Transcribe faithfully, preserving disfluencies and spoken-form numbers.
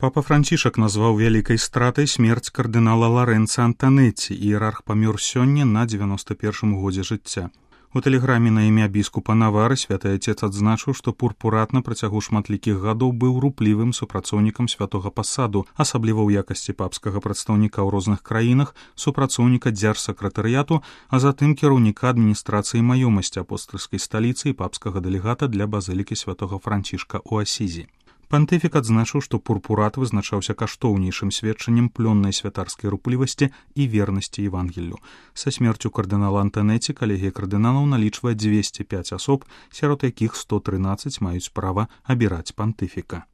Папа Францішак назваў вялікай стратай смерць кардынала Ларэнца Антанетці, іерарх памёр сёння на дзевяноста першым годзе жыцця. У тэлеграме на імя біскупа Навары святы отец адзначыў, што пурпурат на працягу шматлікіх гадоў быў руплівым супрацоўнікам святога пасаду, асабліва ў якасці папскага прадстаўніка ў розных краінах, супрацоўніка дзяржсакратарыяту, а затым кіраўніка адміністрацыі маёмасці апостальскай сталіцы і папскага дэлегата для базылікі святога Францішка ў Асізі. Пантыфік адзначыў, што пурпурат вызначаўся каштоўнейшым сведчаннем плённай святарскай руплівасці і вернасці Евангеллю. Са смерцю кардынала Антанетці калегія кардыналаў налічвае дзвесце пяць асоб, сярод якіх сто трынаццаць маюць права абіраць пантыфіка.